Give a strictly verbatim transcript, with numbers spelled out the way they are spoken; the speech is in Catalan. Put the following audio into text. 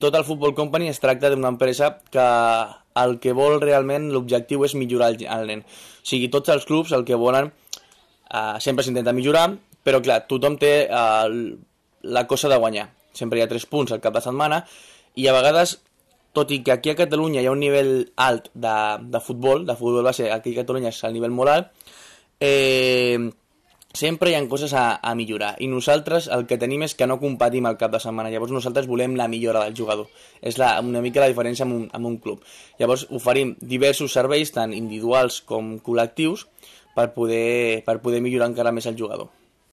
tot el Football Company es tracta d'una empresa que el que vol realment, l'objectiu és millorar el, el nen. O sigui, tots els clubs el que volen, eh, sempre s'intenta millorar, però clar, tothom té eh, la cosa de guanyar. Sempre hi ha tres punts al cap de setmana, i a vegades, tot i que aquí a Catalunya hi ha un nivell alt de, de futbol, de futbol base, aquí a Catalunya és el nivell molt alt, eh, sempre hi ha coses a, a millorar, i nosaltres el que tenim és que no competim al cap de setmana. Llavors nosaltres volem la millora del jugador, és la, una mica la diferència amb un, amb un club. Llavors oferim diversos serveis, tant individuals com col·lectius, per poder, per poder millorar encara més el jugador.